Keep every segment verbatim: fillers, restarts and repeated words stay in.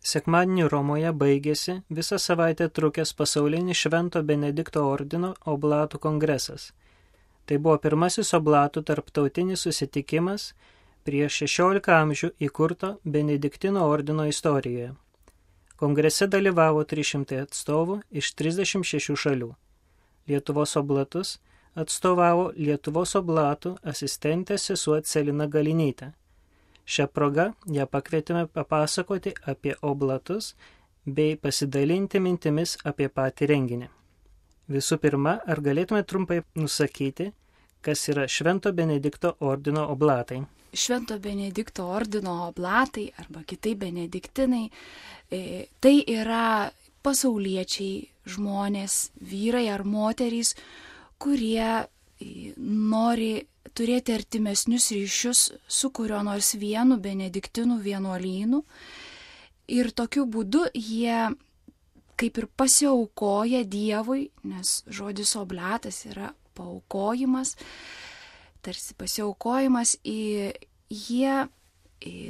Sekmadienį Romoje baigėsi visą savaitę trukęs pasaulinis Švento Benedikto ordino oblatų kongresas. Tai buvo pirmasis oblatų tarptautinis susitikimas prieš šešiolika amžių įkurto Benediktino ordino istorijoje. Kongrese dalyvavo trys šimtai atstovų iš trisdešimt šešių šalių. Lietuvos oblatus atstovavo Lietuvos oblatų asistentė sesuo Celina Galinytė. Šią progą ją pakvietėme papasakoti apie oblatus bei pasidalinti mintimis apie patį renginį. Visų pirma, ar galėtume trumpai nusakyti, kas yra Švento Benedikto ordino oblatai? Švento Benedikto ordino oblatai arba kitaip benediktinai, tai yra pasauliečiai žmonės, vyrai ar moterys, kurie nori turėti artimesnius ryšius su kurio nors vienu benediktinų vienuolynu ir tokiu būdu jie kaip ir pasiaukoja Dievui, nes žodis oblatas yra paaukojimas, tarsi pasiaukojimas, jie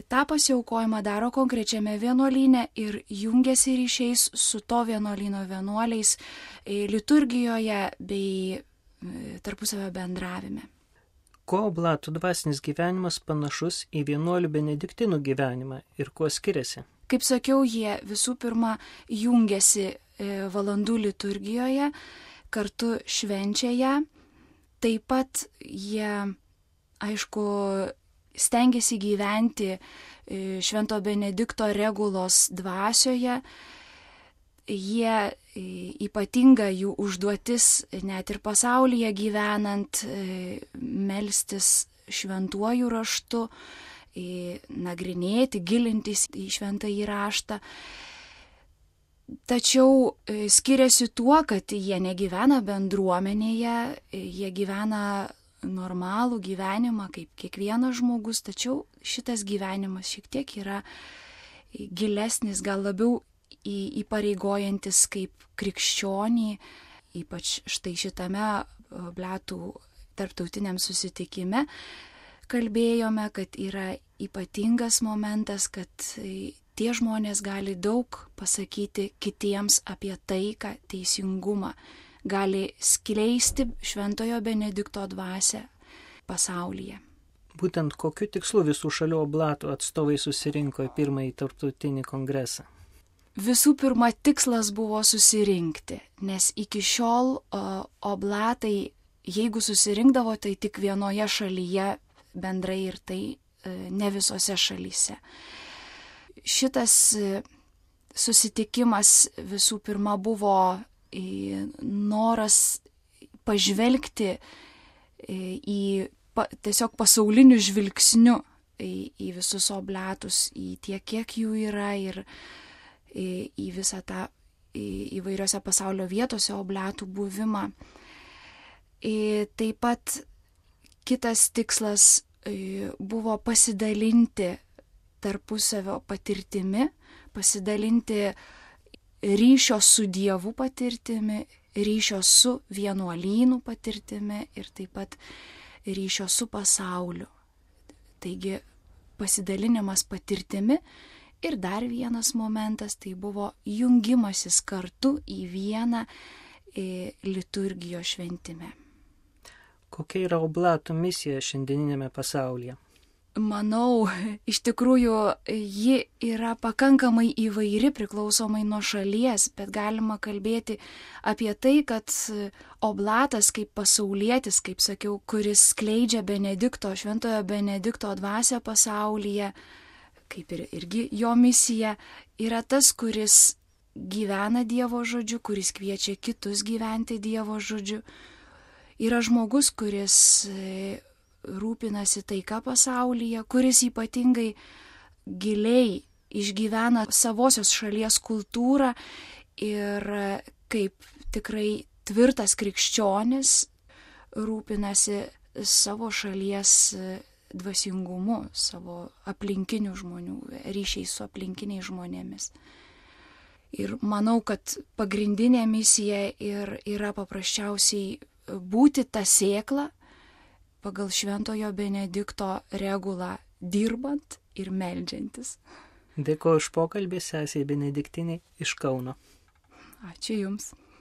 tą pasiaukojimą daro konkrečiame vienuolyne ir jungiasi ryšiais su to vienuolyno vienuoliais liturgijoje bei tarpusavio bendravime. Kuo oblatų dvasinis gyvenimas panašus į vienuolių benediktinų gyvenimą ir kuo skiriasi? Kaip sakiau, jie visų pirma jungiasi valandų liturgijoje, kartu švenčia ją. Taip pat jie, aišku, stengiasi gyventi Švento Benedikto regulos dvasioje. Jie ypatinga jų užduotis net ir pasaulyje gyvenant, melstis šventuoju raštu, nagrinėti, gilintis į šventąjį raštą. Tačiau skiriasi tuo, kad jie negyvena bendruomenėje, jie gyvena normalų gyvenimą kaip kiekvienas žmogus, tačiau šitas gyvenimas šiek tiek yra gilesnis, gal labiau įpareigojantis kaip krikščionį, ypač štai šitame oblatų tarptautiniam susitikime kalbėjome, kad yra ypatingas momentas, kad tie žmonės gali daug pasakyti kitiems apie taiką, teisingumą, gali skleisti Šventojo Benedikto dvasią pasaulyje. Būtent kokiu tikslu visų šalių oblatų atstovai susirinko į pirmąjį tarptautinį kongresą? Visų pirma, tikslas buvo susirinkti, nes iki šiol o, oblatai, jeigu susirinkdavo, tai tik vienoje šalyje bendrai ir tai e, ne visose šalyse. Šitas e, susitikimas visų pirma buvo e, noras pažvelgti e, į pa, tiesiog pasauliniu žvilgsniu į, į visus oblatus, į tiek, kiek jų yra ir į visą tą įvairiose pasaulio vietose oblatų buvimą. Taip pat kitas tikslas buvo pasidalinti tarpusavio patirtimi, pasidalinti ryšio su Dievu patirtimi, ryšio su vienuolynų patirtimi ir taip pat ryšio su pasauliu. Taigi pasidalinimas patirtimi. Ir dar vienas momentas, tai buvo jungimasis kartu į vieną e, liturgijos šventime. Kokia yra oblatų misija šiandieninėme pasaulyje? Manau, iš tikrųjų, ji yra pakankamai įvairi priklausomai nuo šalies, bet galima kalbėti apie tai, kad oblatas kaip pasaulietis, kaip sakiau, kuris skleidžia Benedikto, Šventojo Benedikto dvasią pasaulyje, kaip ir irgi jo misija, yra tas, kuris gyvena Dievo žodžiu, kuris kviečia kitus gyventi Dievo žodžiu. Yra žmogus, kuris rūpinasi taika pasaulyje, kuris ypatingai giliai išgyvena savosios šalies kultūrą ir kaip tikrai tvirtas krikščionis rūpinasi savo šalies dvasingumu, savo aplinkinių žmonių, ryšiais su aplinkiniais žmonėmis. Ir manau, kad pagrindinė misija ir yra paprasčiausiai būti ta sėkla pagal Šventojo Benedikto regulą dirbant ir meldžiantis. Dėkuoju už pokalbį, sesiai Benediktiniai iš Kauno. Ačiū Jums.